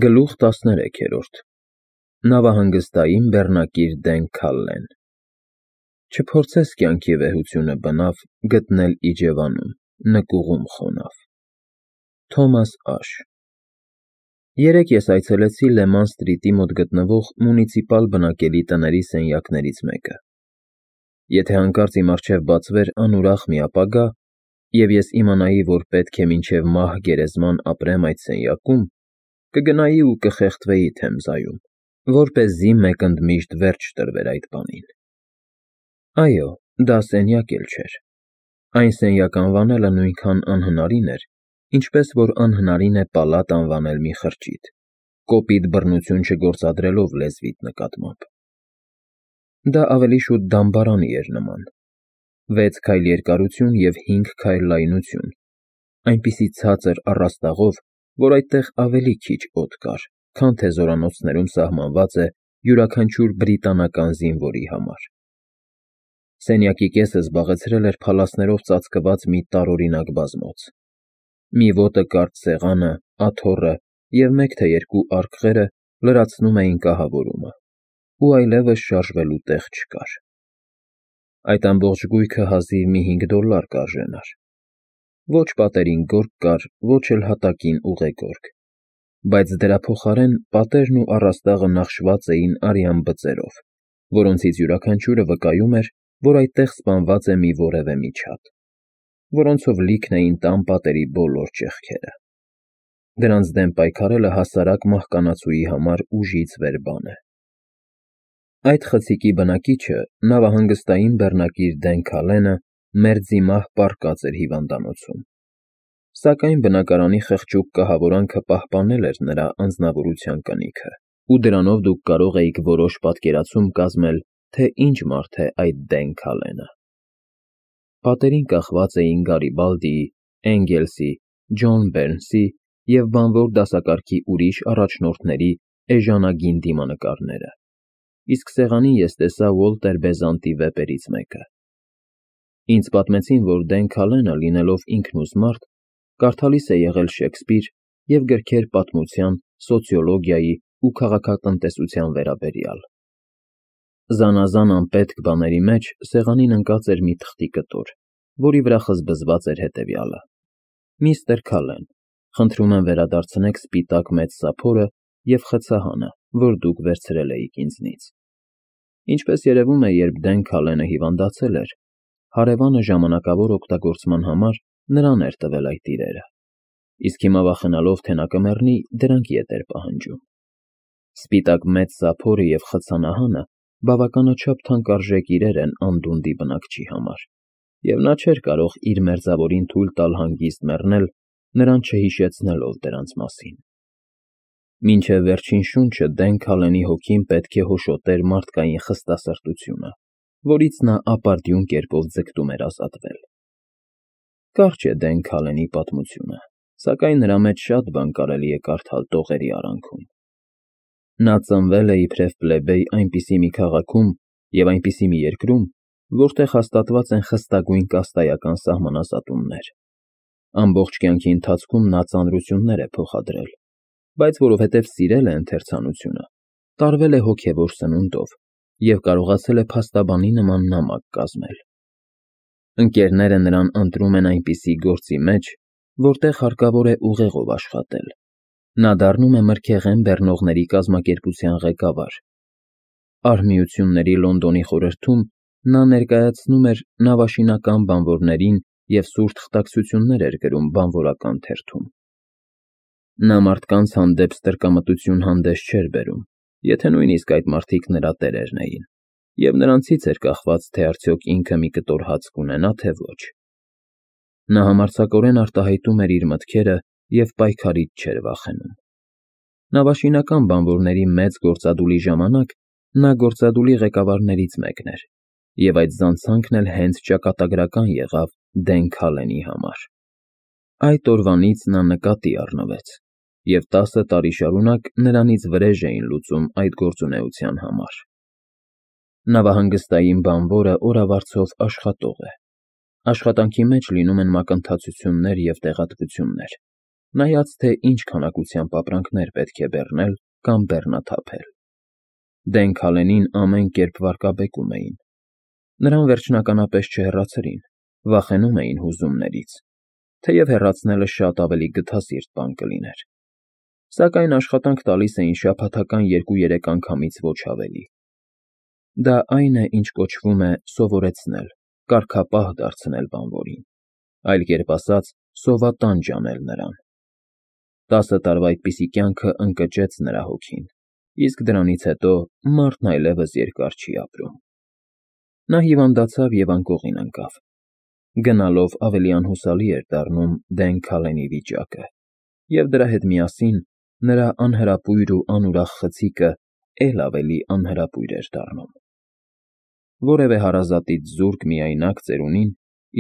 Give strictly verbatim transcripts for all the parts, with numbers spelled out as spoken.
Գլուխ տասներեքերորդ Նավահանգստային բեռնակիր Դեն Քալլեն Չփորձես կյանքի վեհությունը բնավ գտնել իջևանում, նկուղում խոնավ։ Թոմաս Աշ Երեկ ես այցելեցի Լեման Սթրիթի մոտ գտնվող մունիցիպալ բնակելի տների սենյակներից մեկը։ Եթե հանկարծ իմ առջև բացվեր անուրախ մի ապագա, և ես իմանայի, որ պետք է մինչև մահ գերեզման ապրեմ այդ սենյակում, կգնայի ու կխեղդվեի Թեմզայում, որպեսզի մեկ ընդմիշտ վերջ տրվեր այդ բանին։ Այո, դա սենյակ էլ չէր։ Այն սենյակ անվանելը նույնքան անհնարին էր, ինչպես որ անհնարին է պալատ անվանել մի խրճիթ, կոպիտ բռնություն չգործադրելով լեզվիդ նկատմամբ։ Դա ավելի շուտ դամբարանի էր նման. վեց քայլ երկարություն և հինգ քայլ լայնություն, այնպիսի ցածր առաստաղով, որ այդտեղ ավելի քիչ օդ կար, քան թե զորանոցներում սահմանված է յուրաքանչյուր բրիտանական զինվորի համար։ Սենյակի կեսը զբաղեցրել էր փալասներով ծածկված մի տարօրինակ բազմոց։ Մի ոտը կարճ սեղանը, աթոռը և մեկ թե երկու արկղերը լրացնում էին կահավորումը, ու այլևս շարժվելու տեղ չկար։ Այդ ամբողջ գույքը հազիվ մի հինգ դոլլար կարժենար։ Ոչ պատերին գորգ կար, ոչ էլ հատակին ուղեգորգ, բայց դրա փոխարեն պատերն ու առաստաղը նախշված էին արյան բծերով, որոնցից յուրաքանչյուրը վկայում էր, որ այդտեղ սպանված է մի որևէ միջատ, որոնցով լիքն էին տան պատերի բոլոր ճեղքերը։ Դրանց դեմ պայքարելը հասարակ մահկանացուի համար ուժից վեր բան է։ Այդ խցիկի բնակիչը, նավահանգստային բեռնակիր Դեն Քալենը, մերձիմահ պառկած էր հիվանդանոցում, սակայն բնակարանի խղճուկ կահավորանքը պահպանել էր նրա անձնավորության կնիքը, ու դրանով դուք կարող էիք որոշ պատկերացում կազմել, թե ինչ մարդ է այդ Դեն Քալենը։ Պատերին կախված էին Գարիբալդիի, Էնգելսի, Ջոն Բերնսի և բանվոր դասակարգի ուրիշ առաջնորդների էժանագին դիմանկարները, իսկ սեղանին ես տեսա Ուոլտեր Բեզանտի վեպերից մեկը։ Ինձ պատմեցին, որ Դեն Քալենը, լինելով ինքնուզ մարդ, կարդալիս է եղել Շեքսպիր և գրքեր պատմության, սոցիոլոգիայի ու քաղաքատնտեսության վերաբերյալ։ Զանազան անպետք բաների մեջ սեղանին ընկած էր մի թղթի կտոր, որի վրա խզբզված էր հետևյալը. «Միստր Քալեն, խնդրում եմ վերադարձնեք սպիտակ մեծ սափորը և խցահանը, որ դուք վերցրել էիք ինձնից»։ Ինչպես երևում է, երբ Դեն Քալենը հիվանդացել էր, հարևանը ժամանակավոր օգտագործման համար նրան էր տվել այդ իրերը, իսկ հիմա վախենալով, թե նա կմեռնի, դրանք ետ էր պահանջում։ Սպիտակ մեծ սափորը և խցանահանը բավականաչափ թանկարժեք իրեր են անդունդի բնակչի համար, և նա չէր կարող իր մերձավորին թույլ տալ հանգիստ մեռնել, նրան չհիշեցնելով դրանց մասին։ Մինչև վերջին շունչը Դեն Քալենի հոգին պետք է հոշոտեր մարդկային խստասրտությունը, որից նա ապարդյուն կերպով ձգտում էր ազատվել։ Կարճ է Դեն Քալենի պատմությունը, սակայն նրա մեջ շատ բան կարելի է կարդալ տողերի արանքում։ Նա ծնվել է իբրև պլեբեյ այնպիսի մի քաղաքում և այնպիսի մի երկրում, որտեղ հաստատված են խստագույն կաստայական սահմանազատումներ։ Ամբողջ կյանքի ընթացքում նա ծանրություններ է փոխադրել, բայց որովհետև սիրել է ընթերցանությունը, տարվել է հոգևոր սնունդով և կարողացել է փաստաբանի նման նամակ կազմել։ Ընկերները նրան ընտրում են այնպիսի գործի մեջ, որտեղ հարկավոր է ուղեղով աշխատել։ Նա դառնում է մրգեղեն բեռնողների կազմակերպության ղեկավար։ Արհմիությունների Լոնդոնի խորհրդում նա ներկայացնում էր նավաշինական բանվորներին և սուր թղթակցություններ էր գրում բանվորական թերթում։ Նա մարդկանց հանդեպ ստրկամտություն հանդես չէր բերում, եթե նույնիսկ այդ մարդիկ նրա տերերն էին, և նրանցից էր կախված, թե արդյոք ինքը մի կտոր հաց կունենա, թե ոչ։ Նա համարձակորեն արտահայտում էր իր մտքերը և պայքարից չէր վախենում։ Նավաշինական բանվորների մեծ գործադուլի ժամանակ նա գործադուլի ղեկավարներից մեկն էր, և այդ զանցանքն էլ հենց ճակատագրական եղավ Դեն Քալենի համար։ Այդ օրվանից նա նկատի առնվեց, և տասը տարի շարունակ նրանից վրեժ էին լուծում այդ գործունեության համար։ Նավահանգստային բանվորը օրավարձով աշխատող է։ Աշխատանքի մեջ լինում են մակընթացություններ և տեղատվություններ, նայած թե ինչ քանակությամբ ապրանքներ պետք է բեռնել կամ բեռնաթափել։ Դեն Քալենին ամեն կերպ վարկաբեկում էին։ Նրան վերջնականապես չհեռացրին, վախենում էին հուզումներից, թեև հեռացնելը շատ ավելի գթասիրտ բան կլիներ։ Սակայն աշխատանք տալիս էին շաբաթական երկու֊երեք անգամից ոչ ավելի։ Դա այն է, ինչ կոչվում է սովորեցնել, կարգապահ դարձնել բանվորին, այլ կերպ ասած, սովատանջ անել նրան։ Տասը տարվա այդպիսի կյանքը ընկճեց նրա հոգին, իսկ դրանից հետո մարդն այլևս երկար չի ապրում։ Նա հիվանդացավ և անկողին ընկավ։ Գնալով ավելի անհուսալի էր դառնում Դեն Քալենի վիճակը, և դրա հետ միասին նրա անհրապույր ու անուրախ խցիկը էլ ավելի անհրապույր էր դառնում։ Որևէ հարազատից զուրկ միայնակ ծերունին,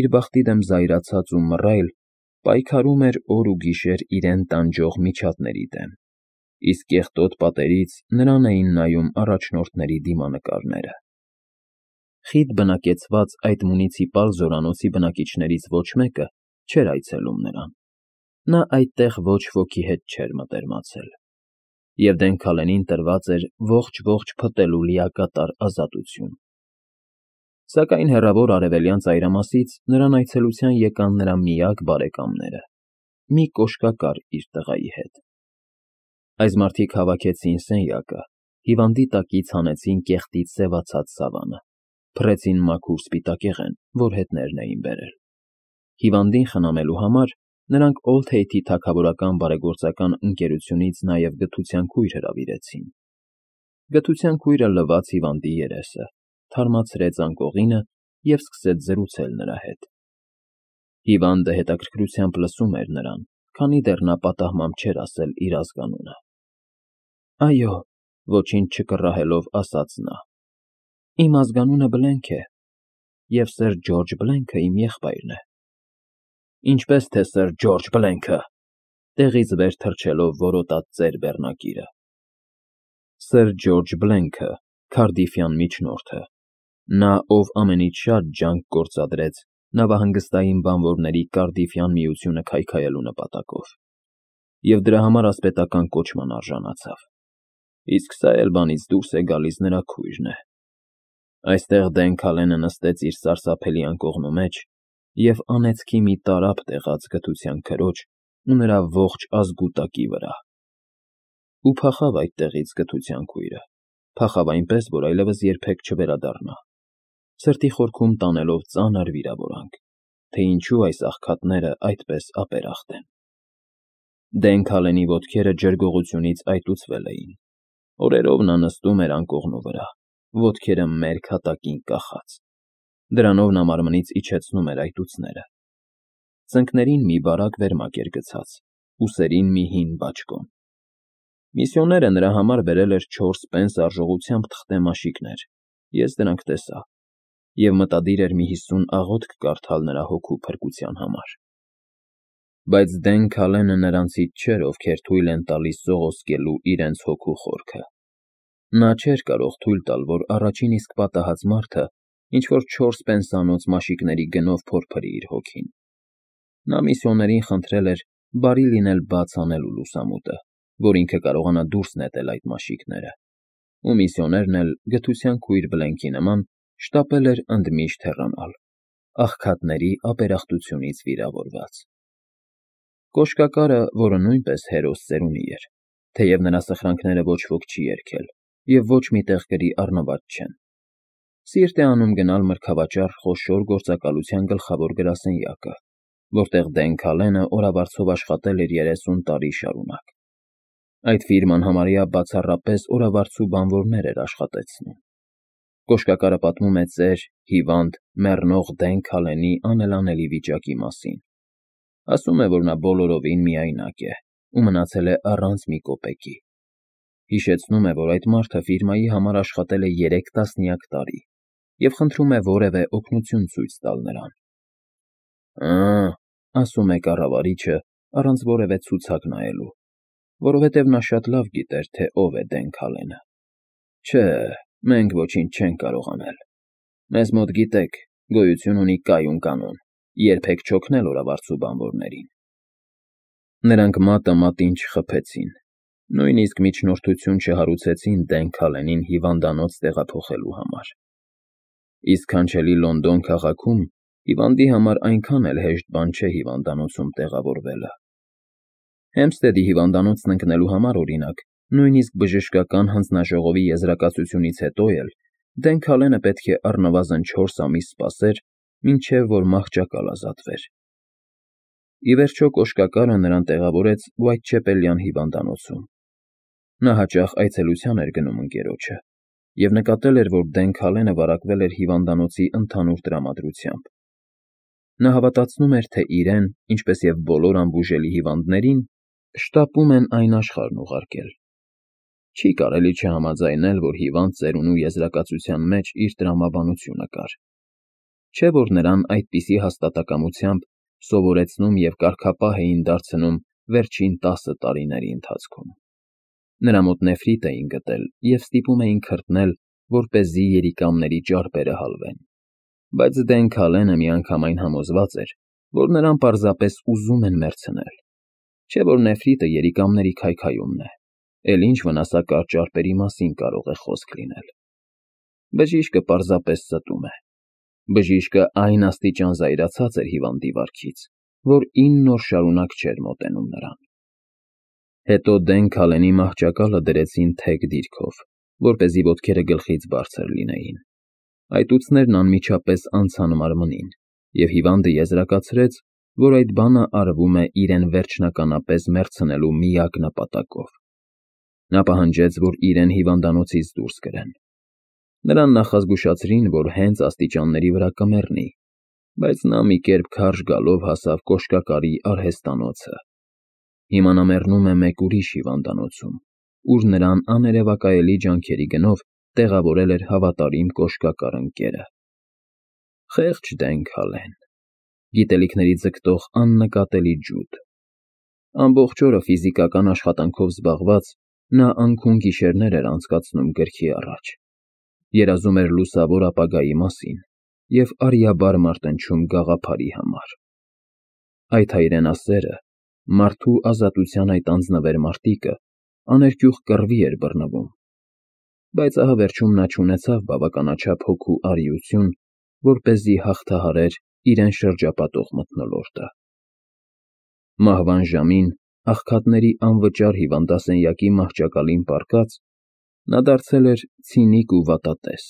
իր բախտի դեմ զայրացած ու մռայլ, պայքարում էր օր ու գիշեր իրեն տանջող միջատների դեմ, իսկ կեղտոտ պատերից նրան էին նայում առաջնորդների դիմանկարները։ Խիտ բնակեցված այդ մունիցիպալ զորանոցի բնակիչներից ոչ մեկը չէր այցելում նրան։ Նա այդտեղ ոչ ոքի հետ չէր մտերմացել, և Դեն Քալենին տրված էր ողջ֊ողջ փտելու լիակատար ազատություն։ Սակայն հեռավոր արևելյան ծայրամասից նրան այցելության եկան նրա միակ բարեկամները՝ մի կոշկակար իր տղայի հետ։ Այս մարդիկ հավաքեցին սենյակը, հիվանդի տակից հանեցին կեղտից սևացած սավանը, փռեցին մաքուր սպիտակեղեն, որ հետներն էին բերել։ Հիվանդին խնամելու համար նրանք Օլդ-Թեյթի թագավորական բարեգործական ընկերությունից նաև գթության քույր հրավիրեցին։ Գթության քույրը լվաց հիվանդի երեսը, թարմացրեց անկողինը և սկսեց զրուցել նրա հետ։ Հիվանդը հետաքրքրությամբ լսում էր նրան, քանի դեռ նա պատահմամբ չէր ասել իր ազգանունը։ Այո, ոչինչ չկռահելով ասաց նա, իմ ազգանունը Բլենք է, և սըր Ջորջ Բլենքը իմ եղբայրն է։ Ինչպես թե սըր Ջորջ Բլենքը, տեղից վեր թռչելով որոտաց ծեր բեռնակիրը։ Սըր Ջորջ Բլենքը, Քարդիֆյան միջնորդը, նա, ով ամենից շատ ջանք գործադրեց նավահանգստային բանվորների Կարդիֆյան միությունը քայքայելու նպատակով, և դրա համար ասպետական կոչման արժանացավ, իսկ սա էլ բանից դուրս է գալիս նրա քույրն է։ Այստեղ Դեն Քալենը նստեց իր սարսափելի անկողնու մեջ և անեծքի մի տարափ տեղաց գթության քրոջ ու նրա ողջ ազգուտակի վրա։ Ու փախավ այդտեղից գթության քույրը, փախավ այնպես, որ այլևս երբեք չվերադառնա, սրտի խորքում տանելով ծանր վիրավորանք, թե ինչու այս աղքատները այդպես ապերախտ են։ Դեն Քալենի ոտքերը ջրգողությունից այտուցվել էին։ Օրերով նա նստում էր անկողնու վրա, ոտքերը մերկ հատակին կախած։ Դրանով նա մարմնից իջեցնում էր այտուցները։ Ծնկներին մի բարակ վերմակ էր գցած, ուսերին մի հին բաճկոն։ Միսիոները նրա համար բերել էր չորս պենս արժողությամբ թղթե մաշիկներ, ես դրանք տեսա, և մտադիր էր մի հիսուն աղոթք կարդալ նրա հոգու փրկության համար։ Բայց Դեն Քալենը նրանցից չէր, ովքեր թույլ են տալիս սողոսկելու իրենց հոգու խորքը։ Նա չէր կարող թույլ տալ, որ առաջին իսկ պատահած մարդը ինչ-որ չորս պենսանոց մաշիկների գնով փորփրի իր հոգին։ Նա միսիոներին խնդրել էր բարի լինել բաց անելու լուսամուտը, որ ինքը կարողանա դուրս նետել այդ մաշիկները, ու միսիոներն էլ, գթության քույր Բլենքի նման, շտապել էր ընդմիշտ հեռանալ, աղքատների ապերախտությունից վիրավորված։ Կոշկակարը, որը նույնպես հերոս ծերունի էր, թեև նրա սխրանքները ոչ ոք չի երգել և ոչ մի տեղ գրի առնված չեն, սիրտ է անում գնալ մրգավաճառ խոշոր գործակալության գլխավոր գրասենյակը, որտեղ Դեն Քալենը օրավարձով աշխատել էր երեսուն տարի շարունակ։ Այդ ֆիրման համարյա բացառապես օրավարձու բանվորներ էր աշխատեցնում։ Կոշկակարը պատմում է ծեր, հիվանդ, մեռնող Դեն Քալենի անելանելի վիճակի մասին։ Ասում է, որ նա բոլորովին միայնակ է ու մնացել է առանց մի կոպեկի։ Հիշեցնում է, որ այդ մարդը ֆիրմայի համար աշխատել է երեք տասնյակ տարի և խնդրում է որևէ օգնություն ցույց տալ նրան։ Ա, ասում է կառավարիչը, առանց որևէ ցուցակ նայելու, որովհետև նա շատ լավ գիտեր, թե ով է Դեն Քալենը։ Չէ, մենք ոչինչ չենք կարող անել։ Մեզ մոտ, գիտեք, գոյություն ունի կայուն կանոն՝ երբեք չօգնել օրավարձու բանվորներին։ Նրանք մատը մատին չխփեցին, նույնիսկ միջնորդություն չհարուցեցին Դեն Քալենին հիվանդանոց տեղափոխելու համար։ Իսկ քանչելի Լոնդոն քաղաքում հիվանդի համար այնքան էլ հեշտ բան չէ հիվանդանոցում տեղավորվելը։ Հեմփսթեդի հիվանդանոցն ընկնելու համար, օրինակ, նույնիսկ բժշկական հանձնաժողովի եզրակացությունից հետո էլ Դեն Քալենը պետք է առնվազն չորս ամիս սպասեր, մինչև որ մահճակալ ազատվեր։ Ի վերջո կոշկակարը նրան տեղավորեց Ուայթչեպելյան հիվանդանոցում։ Նա հաճախ այցելության էր գնում ընկերոջը և նկատել էր, որ Դեն Քալենը վարակվել էր հիվանդանոցի ընդհանուր տրամադրությամբ։ Նա հավատացնում էր, թե իրեն, ինչպես և բոլոր անբուժելի հիվանդներին, շտապում են այն աշխարհն ուղարկել։ Չի կարելի չհամաձայնել, որ հիվանդ ծերունու եզրակացության մեջ իր տրամաբանությունը կար, չէ՞ որ նրան այդպիսի հաստատակամությամբ սովորեցնում և կարգապահ էին դարձնում վերջին տասը տարիների ընթացքում։ Նրա մոտ նեֆրիտ էին գտել և ստիպում էին քրտնել, որպեսզի երիկամների ճարպերը հալվեն, բայց Դեն Քալենը միանգամայն համոզված էր, որ նրան պարզապես ուզում են մեռցնել, չէ՞ որ նեֆրիտը երիկամների քայքայումն է, էլ ինչ վնասակար ճարպերի մասին կարող է խոսք լինել։ Բժիշկը պարզապես ստում է։ Բժիշկը այն աստիճան զայրացած էր հիվանդի վարքից, որ ինն օր շարունակ չէր մոտենում նրան։ Հետո Դեն Քալենի մահճակալը դրեցին թեք դիրքով, որպեսզի ոտքերը գլխից բարձր լինեին։ Այտուցներն անմիջապես անցան մարմնին, և հիվանդը եզրակացրեց, որ այդ բանը արվում է իրեն վերջնականապես մեռցնելու միակ նպատակով։ Նա պահանջեց, որ իրեն հիվանդանոցից դուրս կրեն։ Նրան նախազգուշացրին, որ հենց աստիճանների վրա կմեռնի, բայց նա մի կերպ քարշ գալով հասավ կոշկակարի արհեստանոցը։ Հիմա նա մեռնում է մեկ ուրիշ հիվանդանոցում, ուր նրան աներևակայելի ջանքերի գնով տեղավորել էր հավատարիմ կոշկակար ընկերը։ Խեղճ Դեն Քալեն, գիտելիքների ձգտող աննկատելի ջուդ։ Ամբողջ օրը ֆիզիկական աշխատանքով զբաղված՝ նա անքուն֊գիշերներ էր անցկացնում գրքի առաջ, երազում էր լուսավոր ապագայի մասին և արյաբար մարտնչում գաղափարի համար։ Այդ հայրենասերը, մարդու ազատության այդ անձնվեր մարտիկը աներկյուղ կռվի էր բռնվում, բայց ահա վերջում նա չունեցավ բավականաչափ հոգու արիություն, որպեսզի հաղթահարեր իրեն շրջապատող մթնոլորտը։ Մահվան ժամին, աղքատների անվճար հիվանդասենյակի մահճակալին պառկած, նա դարձել էր ցինիկ ու վատատես։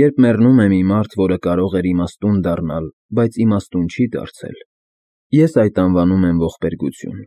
Երբ մեռնում է մի մարդ, որը կարող էր իմաստուն դառնալ, բայց իմաստուն չի դարձել, ես այդ անվանում եմ ողբերգություն։